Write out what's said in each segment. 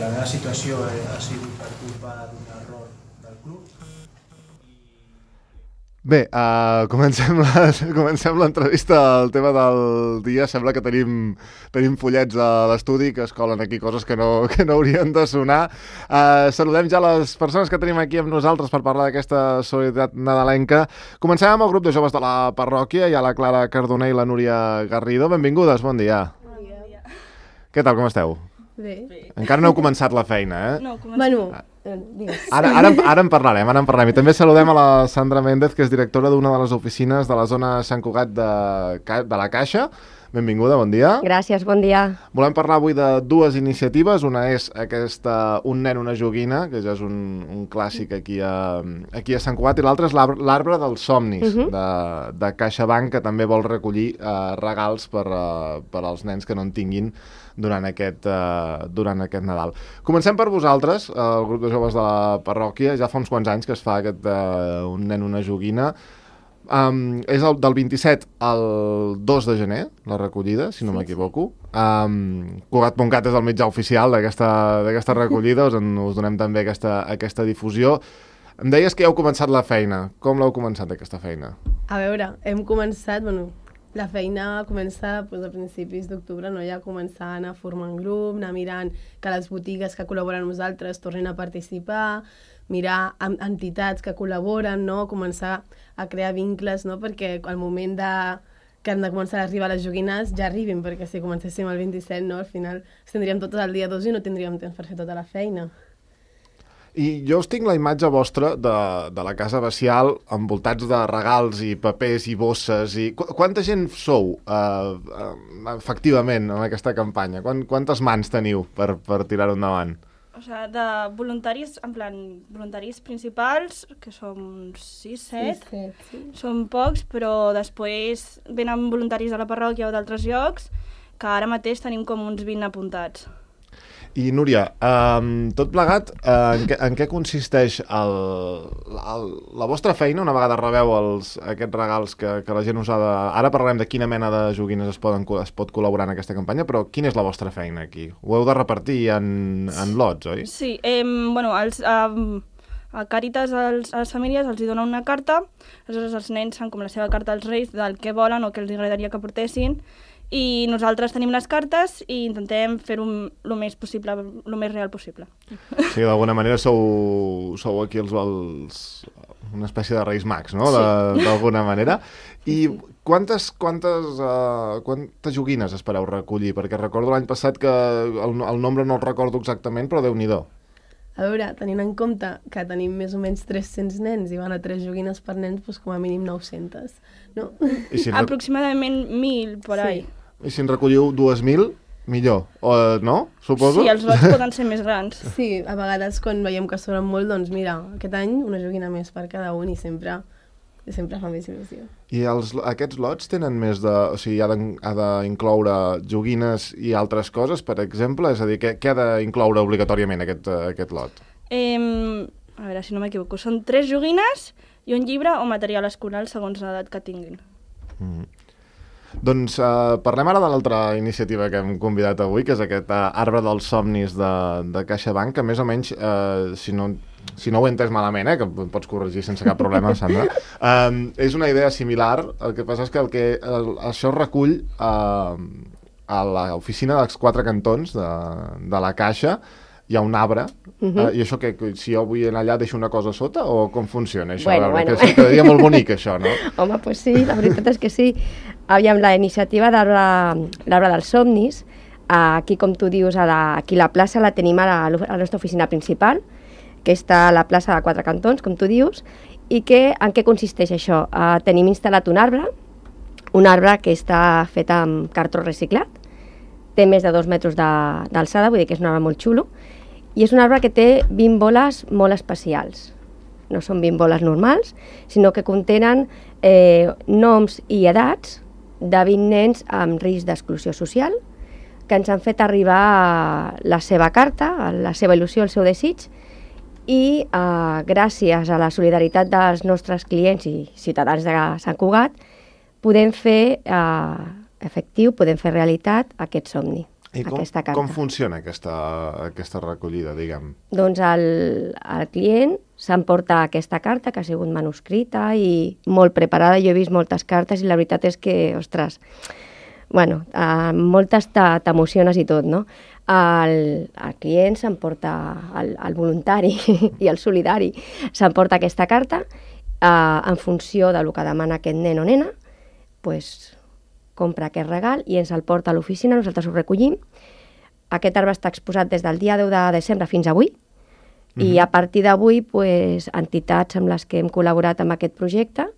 que la meva situació ha sigut per culpa d'un error del club. Bé, comencem l'entrevista al tema del dia. Sembla que tenim fullets a l'estudi que es colen aquí coses que no haurien de sonar. Saludem ja les persones que tenim aquí amb nosaltres per parlar d'aquesta solidaritat nadalenca. Comencem amb el grup de joves de la parròquia. Hi ha la Clara Cardoner i la Núria Garrido. Benvingudes, bon dia. Bon dia. Què tal, com esteu? Bé. Encara no heu començat la feina, eh? No, comencem. Ara en parlarem. I també saludem a la Sandra Méndez, que és directora d'una de les oficines de la zona Sant Cugat de la Caixa. Benvinguda, bon dia. Gràcies, bon dia. Volem parlar avui de dues iniciatives. Una és aquesta Un nen, una joguina, que ja és un clàssic aquí a Sant Cugat, i l'altra és l'Arbre dels Somnis, de CaixaBank, que també vol recollir regals per als nens que no en tinguin durant aquest Nadal. Comencem per vosaltres, el grup de joves de la parròquia. Ja fa uns quants anys que es fa aquest Un nen, una joguina. És del 27 al 2 de gener, la recollida, si no m'equivoco. Cugat.cat és el mitjà oficial d'aquesta recollida, us donem també aquesta difusió. Em deies que ja heu començat la feina. Com l'heu començat, aquesta feina? A veure, hem començat, la feina comença a principis d'octubre, no? Ja començar a anar formant grup, anar mirant que les botigues que col·laboren amb nosaltres tornin a participar, mirar entitats que col·laboren, no? Començar a crear vincles, no? Perquè al moment que han de començar a arribar les joguines ja arribin, perquè si comencéssim el 27, no? Al final ens tindríem totes el dia 2 i no tindríem temps per fer tota la feina. I jo us tinc la imatge vostra de la Casa Bacial envoltats de regals i papers i bosses. Quanta gent sou efectivament en aquesta campanya? Quantes mans teniu per tirar-ho endavant? O sigui, de voluntaris, en plan, voluntaris principals, que som 6-7, són pocs, però després venen voluntaris de la parròquia o d'altres llocs, que ara mateix tenim com uns 20 apuntats. I Núria, tot plegat, en què consisteix la vostra feina una vegada rebeu aquests regals que la gent us ha de... Ara parlarem de quina mena de joguines es pot col·laborar en aquesta campanya, però quina és la vostra feina aquí? Ho heu de repartir en lots, oi? Sí, a Càritas a les famílies els dona una carta, aleshores els nens fan com la seva carta als reis del que volen o que els agradaria que portessin, i nosaltres tenim les cartes i intentem fer-ho el més possible, el més real possible. Sí, d'alguna manera sou aquí una espècie de Reis Mags, no? Sí. D'alguna manera. I quantes joguines espereu recollir? Perquè recordo l'any passat que el nombre no el recordo exactament, però Déu-n'hi-do. A veure, tenint en compte que tenim més o menys 300 nens i van a 3 joguines per nens, doncs com a mínim 900, no? Aproximadament 1.000 per ahí. I si en recolliu 2.000, millor, no? Suposo? Sí, els lots poden ser més grans. Sí, a vegades quan veiem que sobren molt, doncs mira, aquest any una joguina més per cada un i sempre fa més il·lusió. I aquests lots tenen més de... O sigui, ha d'incloure joguines i altres coses, per exemple? És a dir, què ha d'incloure obligatòriament aquest lot? A veure, si no m'equivoco, són 3 joguines i un llibre o material escolar segons l'edat que tinguin. Doncs parlem ara de l'altra iniciativa que hem convidat avui, que és aquest Arbre dels Somnis de CaixaBank, que més o menys, si no ho he entès malament, que em pots corregir sense cap problema, Sandra, és una idea similar. El que passa és que això recull a l'oficina dels 4 cantons de la Caixa. Hi ha un arbre, i això que si jo vull anar allà deixo una cosa sota, o com funciona això? Bueno. Que quedaria molt bonic això, no? Home, doncs sí, la veritat és que sí. Aviam, la iniciativa d'Arbre dels Somnis, aquí, com tu dius, aquí la plaça la tenim a la nostra oficina principal, que està a la plaça de 4 cantons, com tu dius, i en què consisteix això? Tenim instal·lat un arbre que està fet amb cartró reciclat, té més de 2 metres d'alçada, vull dir que és un arbre molt xulo, i és un arbre que té 20 boles molt especials. No són 20 boles normals, sinó que contenen noms i edats de 20 nens amb risc d'exclusió social, que ens han fet arribar la seva carta, la seva il·lusió, el seu desig, i gràcies a la solidaritat dels nostres clients i ciutadans de Sant Cugat podem fer efectiu, podem fer realitat aquest somni. I aquesta carta. Com funciona aquesta recollida, diguem? Doncs el client s'emporta aquesta carta, que ha sigut manuscrita i molt preparada. Jo he vist moltes cartes i la veritat és que, ostres, bueno, moltes t'emociones i tot, no? El client s'emporta, el voluntari i el solidari s'emporta aquesta carta en funció del que demana aquest nen o nena, doncs compra aquest regal i ens el porta a l'oficina, nosaltres ho recollim. Aquest arbre està exposat des del dia 10 de desembre fins avui i a partir d'avui entitats amb les que hem col·laborat amb aquest projecte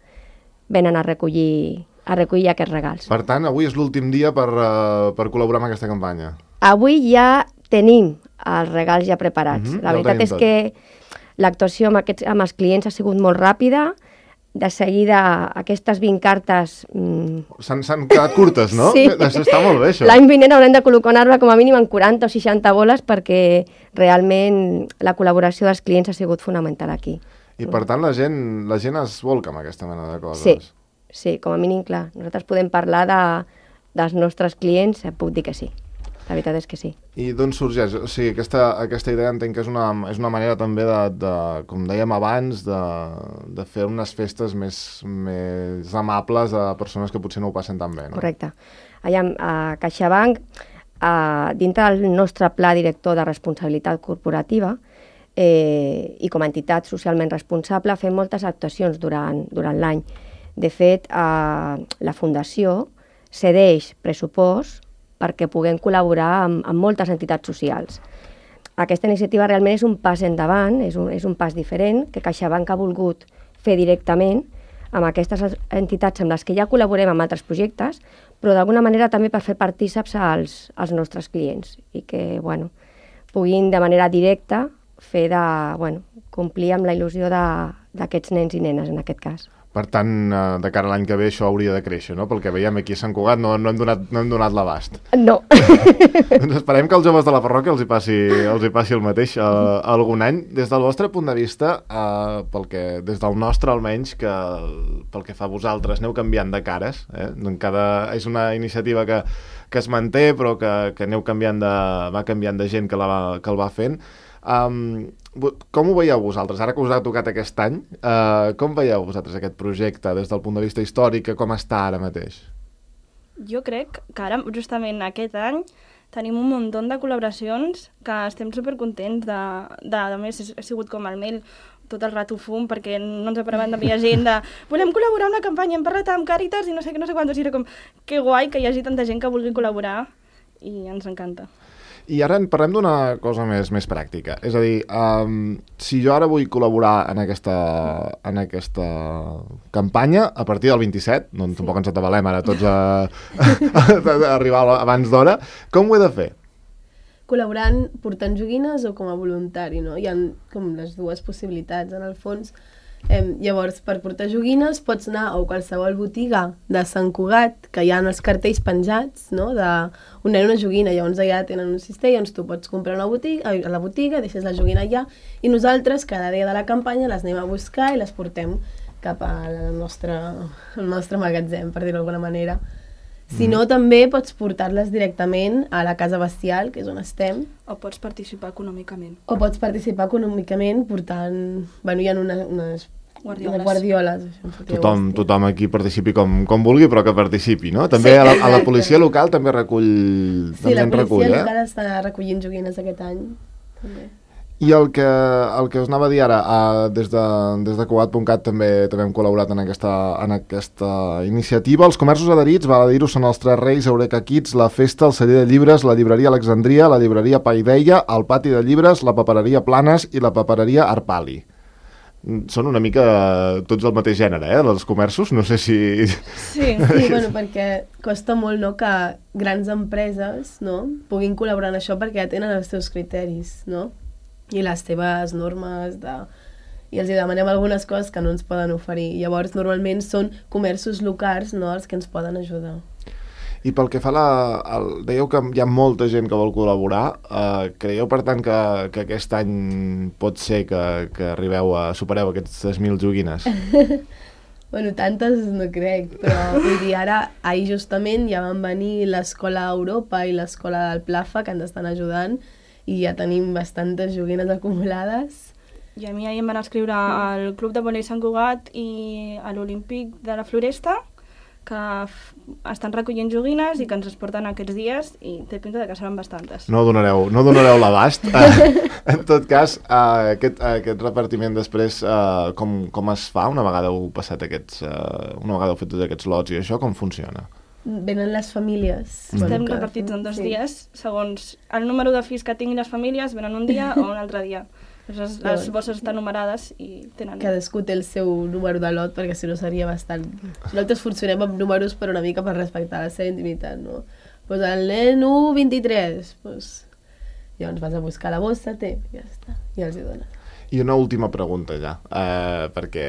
venen a recollir aquests regals. Per tant, avui és l'últim dia per col·laborar amb aquesta campanya. Avui ja tenim els regals ja preparats. La veritat és que l'actuació amb els clients ha sigut molt ràpida. De seguida, aquestes 20 cartes... S'han quedat curtes, no? Sí. Està molt bé, això. L'any vinent haurem de col·locar un arbre com a mínim en 40 o 60 boles perquè realment la col·laboració dels clients ha sigut fonamental aquí. I per tant la gent es volca amb aquesta mena de coses. Sí, com a mínim, clar. Nosaltres podem parlar dels nostres clients, puc dir que sí. La veritat és que sí. I d'on sorgeix? O sigui, aquesta idea entenc que és una manera també de, com dèiem abans, de fer unes festes més amables a persones que potser no ho passen tan bé, no? Correcte. Allà a CaixaBank, dintre del nostre pla director de responsabilitat corporativa i com a entitat socialment responsable, fem moltes actuacions durant l'any. De fet, la Fundació cedeix pressupost perquè puguem col·laborar amb moltes entitats socials. Aquesta iniciativa realment és un pas endavant, és un pas diferent, que CaixaBank ha volgut fer directament amb aquestes entitats amb les que ja col·laborem amb altres projectes, però d'alguna manera també per fer partíceps als nostres clients i que puguin de manera directa fer complir amb la il·lusió d'aquests nens i nenes en aquest cas. Per tant, de cara a l'any que ve això hauria de créixer, no? Pel que veiem aquí a Sant Cugat no hem donat l'abast. No. Doncs esperem que als joves de la parròquia els hi passi el mateix algun any. Des del vostre punt de vista, des del nostre almenys, que pel que fa a vosaltres aneu canviant de cares, és una iniciativa que es manté però que va canviant de gent que el va fent. Com ho veieu vosaltres? Ara que us ha tocat aquest any, com veieu vosaltres aquest projecte des del punt de vista històric, com està ara mateix? Jo crec que ara, justament aquest any, tenim un munt de col·laboracions que estem supercontents a més, ha sigut com el mail tot el rato fum, perquè no ens paràvem d'enviar gent volem col·laborar en una campanya, hem parlat amb Càritas i no sé quantos, i era com, que guai que hi hagi tanta gent que vulgui col·laborar i ens encanta. I ara en parlem d'una cosa més pràctica. És a dir, si jo ara vull col·laborar en aquesta campanya, a partir del 27, tampoc ens atabalem ara tots a arribar abans d'hora, com ho he de fer? Col·laborant portant joguines o com a voluntari, no? Hi ha com les dues possibilitats, en el fons. Llavors, per portar joguines pots anar a qualsevol botiga de Sant Cugat, que hi ha els cartells penjats, no?, d'un nen una joguina, llavors allà tenen un cistell, llavors tu pots comprar a la botiga, deixes la joguina allà, i nosaltres cada dia de la campanya les anem a buscar i les portem cap al nostre magatzem, per dir-ho d'alguna manera. Si no, també pots portar-les directament a la Casa Bestial, que és on estem. O pots participar econòmicament. Portant... Hi ha unes guardioles. Tothom aquí participi com vulgui, però que participi, no? També a la policia local també recull... Sí, la policia local està recollint joguines aquest any, també. I el que us anava a dir ara, des de Cugat.cat també hem col·laborat en aquesta iniciativa. Els comerços adherits, val a dir-ho, són els Tres Reis, Eureka Kids, la Festa, el Celler de Llibres, la Llibreria Alexandria, la Llibreria Paideia, el Pati de Llibres, la Papereria Planes i la Papereria Arpali. Són una mica tots el mateix gènere, dels comerços, no sé si... Sí, perquè costa molt, no?, que grans empreses, no?, puguin col·laborar en això perquè ja tenen els seus criteris, no?, i les teves normes i els demanem algunes coses que no ens poden oferir. Llavors, normalment són comerços locals, no?, els que ens poden ajudar. I pel que fa dèieu que hi ha molta gent que vol col·laborar. Creieu, per tant, que aquest any pot ser que supereu aquestes 1.000 joguines? Bueno, tantes no crec, però vull dir, ara, ahir justament ja van venir l'Escola Europa i l'Escola del Plafa, que ens estan ajudant, i ja tenim bastantes joguines acumulades. I a mi ahir em van escriure al Club de Vòlei Sant Cugat i a l'Olímpic de la Floresta, que estan recollint joguines i que ens es porten aquests dies i té pinta que seran bastantes. No donareu l'abast. En tot cas, aquest repartiment després, com es fa una vegada heu passat una vegada heu fet tots aquests lots i això, com funciona? Venen les famílies. Estem repartits en 2 dies, segons el número de fills que tinguin les famílies, venen un dia o un altre dia. Les bosses estan numerades i tenen... Cadascú té el seu número de lot, perquè si no seria bastant... Nosaltres funcionem amb números però una mica per respectar la seva intimitat, no? Doncs el nen 1-23, doncs... Llavors vas a buscar la bossa, ja està, i els hi dones. I una última pregunta ja, perquè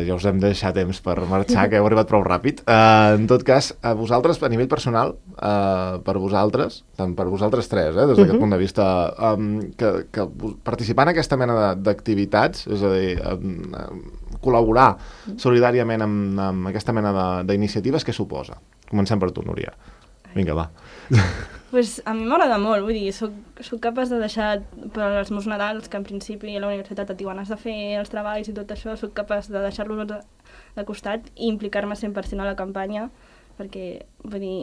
ja us hem de deixar temps per marxar, que heu arribat prou ràpid. En tot cas, a vosaltres, a nivell personal, per vosaltres, tant per vosaltres tres, des d'aquest punt de vista, que participar en aquesta mena d'activitats, és a dir, col·laborar solidàriament amb aquesta mena d'iniciatives, què suposa? Comencem per tu, Núria. Vinga, va. Pues a mi m'agrada molt, vull dir, soc capaç de deixar per als meus Nadals, que en principi a la Universitat et diuen has de fer els treballs i tot això, soc capaç de deixar-los de costat i implicar-me 100% a la campanya, perquè, vull dir,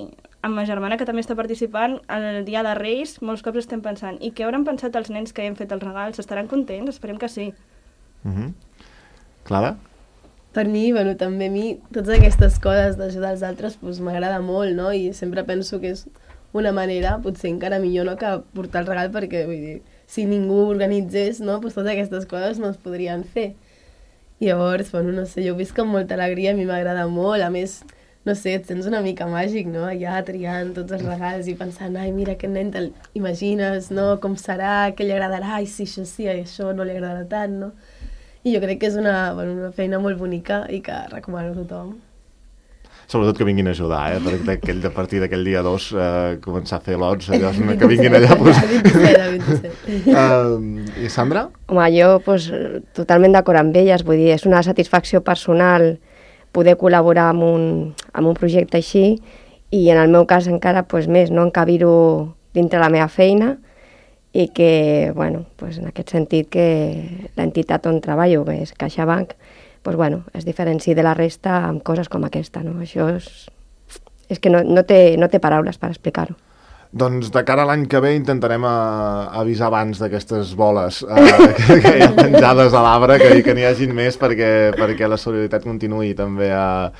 amb ma germana, que també està participant, el dia de Reis, molts cops estem pensant, i què hauran pensat els nens que hem fet els regals? Estaran contents? Esperem que sí. Clara? Per mi, bueno, també a mi, totes aquestes coses d'ajudar els altres, doncs m'agrada molt, no? I sempre penso que és una manera, potser encara millor, no?, que portar el regal, perquè, vull dir, si ningú organitzés, no?, doncs totes aquestes coses no es podrien fer. I llavors, bueno, no sé, jo ho visc amb molta alegria, a mi m'agrada molt, a més, no sé, et sents una mica màgic, no?, allà triant tots els regals i pensant, ai, mira, aquest nen te'l imagines, no?, com serà, què li agradarà, ai, sí, això no li agradarà tant, no? I jo crec que és una feina molt bonica i que recomano a tothom. Sobretot que vinguin a ajudar, perquè a partir d'aquell dia 2 començar a fer lots, que vinguin allà. I Sandra? Home, jo totalment d'acord amb elles, vull dir, és una satisfacció personal poder col·laborar amb un projecte així i en el meu cas encara més, no encabir-ho dintre la meva feina i que, bueno, en aquest sentit que l'entitat on treballo, que és CaixaBank, es diferenciï de la resta amb coses com aquesta, no? Això és que no té paraules per explicar-ho. Doncs de cara a l'any que ve intentarem avisar abans d'aquestes boles que hi ha penjades a l'arbre, que n'hi hagin més perquè la solidaritat continuï també a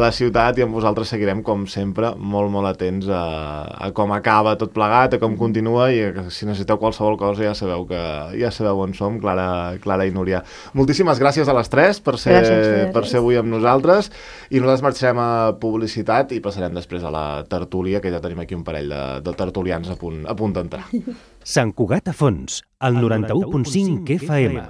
la ciutat i amb vosaltres seguirem, com sempre, molt, molt atents a com acaba tot plegat, a com continua i si necessiteu qualsevol cosa ja sabeu on som, Clara i Núria. Moltíssimes gràcies a les tres per ser avui amb nosaltres i nosaltres marxarem a publicitat i passarem després a la tertúlia, que ja tenim aquí un parell de tertulians a punt d'entrar. Sant Cugat a fons, al 91.5 FM.